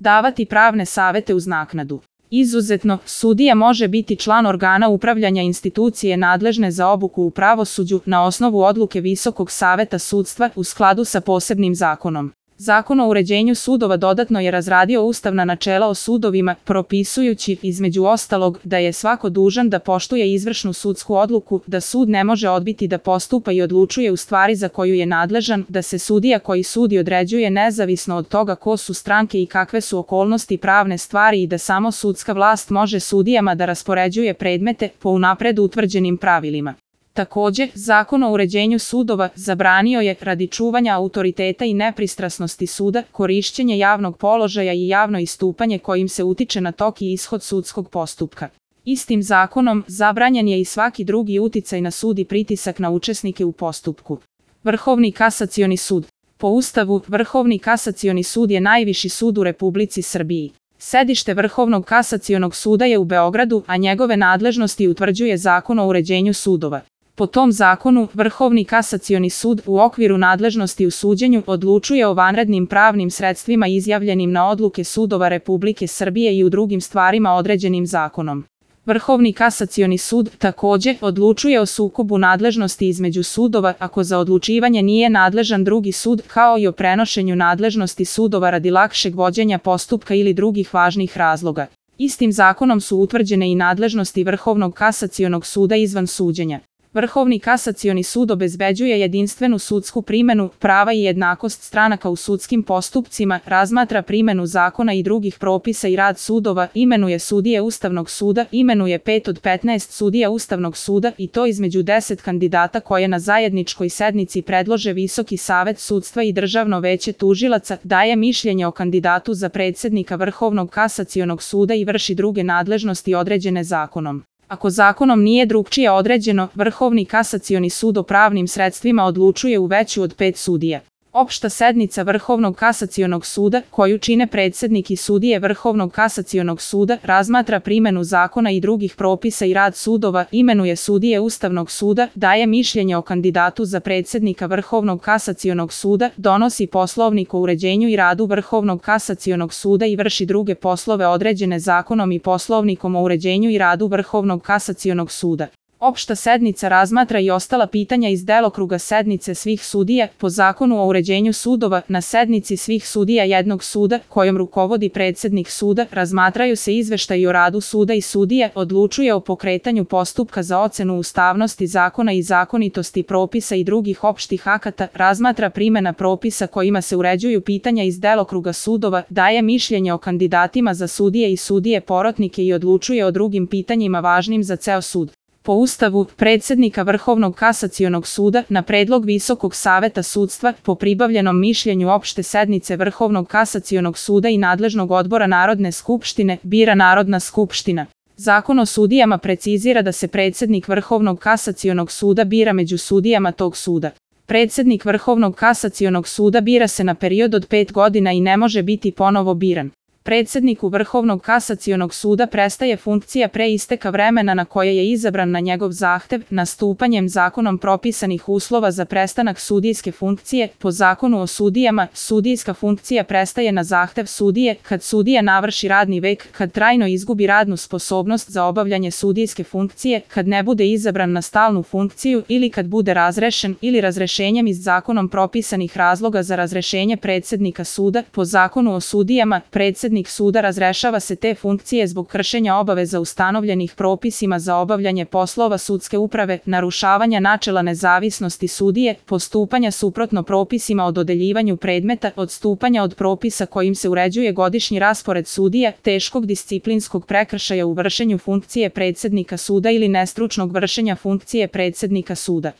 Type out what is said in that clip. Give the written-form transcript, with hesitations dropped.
davati pravne savete uz naknadu. Izuzetno, sudija može biti član organa upravljanja institucije nadležne za obuku u pravosuđu na osnovu odluke Visokog saveta sudstva u skladu sa posebnim zakonom. Zakon o uređenju sudova dodatno je razradio ustavna načela o sudovima, propisujući, između ostalog, da je svako dužan da poštuje izvršnu sudsku odluku, da sud ne može odbiti da postupa i odlučuje u stvari za koju je nadležan, da se sudija koji sudi određuje nezavisno od toga ko su stranke i kakve su okolnosti pravne stvari i da samo sudska vlast može sudijama da raspoređuje predmete po unapred utvrđenim pravilima. Takođe, Zakon o uređenju sudova zabranio je, radi čuvanja autoriteta i nepristrasnosti suda, korišćenje javnog položaja i javno istupanje kojim se utiče na tok i ishod sudskog postupka. Istim zakonom zabranjen je i svaki drugi uticaj na sud i pritisak na učesnike u postupku. Vrhovni kasacioni sud. Po Ustavu, Vrhovni kasacioni sud je najviši sud u Republici Srbiji. Sedište Vrhovnog kasacionog suda je u Beogradu, a njegove nadležnosti utvrđuje Zakon o uređenju sudova. Po tom zakonu, Vrhovni kasacioni sud u okviru nadležnosti u suđenju odlučuje o vanrednim pravnim sredstvima izjavljenim na odluke sudova Republike Srbije i u drugim stvarima određenim zakonom. Vrhovni kasacioni sud takođe odlučuje o sukobu nadležnosti između sudova ako za odlučivanje nije nadležan drugi sud, kao i o prenošenju nadležnosti sudova radi lakšeg vođenja postupka ili drugih važnih razloga. Istim zakonom su utvrđene i nadležnosti Vrhovnog kasacionog suda izvan suđenja. Vrhovni kasacioni sud obezbeđuje jedinstvenu sudsku primenu, prava i jednakost stranaka u sudskim postupcima, razmatra primenu zakona i drugih propisa i rad sudova, imenuje sudije Ustavnog suda, imenuje 5 od 15 sudija Ustavnog suda i to između 10 kandidata koje na zajedničkoj sednici predlože Visoki savet sudstva i Državno veće tužilaca, daje mišljenje o kandidatu za predsednika Vrhovnog kasacionog suda i vrši druge nadležnosti određene zakonom. Ako zakonom nije drugčije određeno, Vrhovni kasacioni sud o pravnim sredstvima odlučuje u veću od 5 sudija. Opšta sednica Vrhovnog kasacionog suda, koju čine predsednik i sudije Vrhovnog kasacionog suda, razmatra primenu zakona i drugih propisa i rad sudova, imenuje sudije Ustavnog suda, daje mišljenje o kandidatu za predsednika Vrhovnog kasacionog suda, donosi poslovnik o uređenju i radu Vrhovnog kasacionog suda i vrši druge poslove određene zakonom i poslovnikom o uređenju i radu Vrhovnog kasacionog suda. Opšta sednica razmatra i ostala pitanja iz delokruga sednice svih sudija, po Zakonu o uređenju sudova, na sednici svih sudija jednog suda, kojom rukovodi predsednik suda, razmatraju se izveštaji o radu suda i sudije, odlučuje o pokretanju postupka za ocenu ustavnosti zakona i zakonitosti propisa i drugih opštih akata, razmatra primena propisa kojima se uređuju pitanja iz delokruga sudova, daje mišljenje o kandidatima za sudije i sudije porotnike i odlučuje o drugim pitanjima važnim za ceo sud. Po Ustavu, predsednika Vrhovnog kasacionog suda, na predlog Visokog saveta sudstva, po pribavljenom mišljenju opšte sednice Vrhovnog kasacionog suda i nadležnog odbora Narodne skupštine, bira Narodna skupština. Zakon o sudijama precizira da se predsednik Vrhovnog kasacionog suda bira među sudijama tog suda. Predsednik Vrhovnog kasacionog suda bira se na period od 5 godina i ne može biti ponovo biran. Predsedniku Vrhovnog kasacionog suda prestaje funkcija pre isteka vremena na koje je izabran na njegov zahtev, nastupanjem zakonom propisanih uslova za prestanak sudijske funkcije. Po Zakonu o sudijama, sudijska funkcija prestaje na zahtev sudije, kad sudija navrši radni vek, kad trajno izgubi radnu sposobnost za obavljanje sudijske funkcije, kad ne bude izabran na stalnu funkciju ili kad bude razrešen ili razrešenjem iz zakonom propisanih razloga za razrešenje predsednika suda. Po Zakonu o sudijama, predsednik suda razrešava se te funkcije zbog kršenja obaveza ustanovljenih propisima za obavljanje poslova sudske uprave, narušavanja načela nezavisnosti sudije, postupanja suprotno propisima o dodeljivanju predmeta, odstupanja od propisa kojim se uređuje godišnji raspored sudija, teškog disciplinskog prekršaja u vršenju funkcije predsednika suda ili nestručnog vršenja funkcije predsednika suda.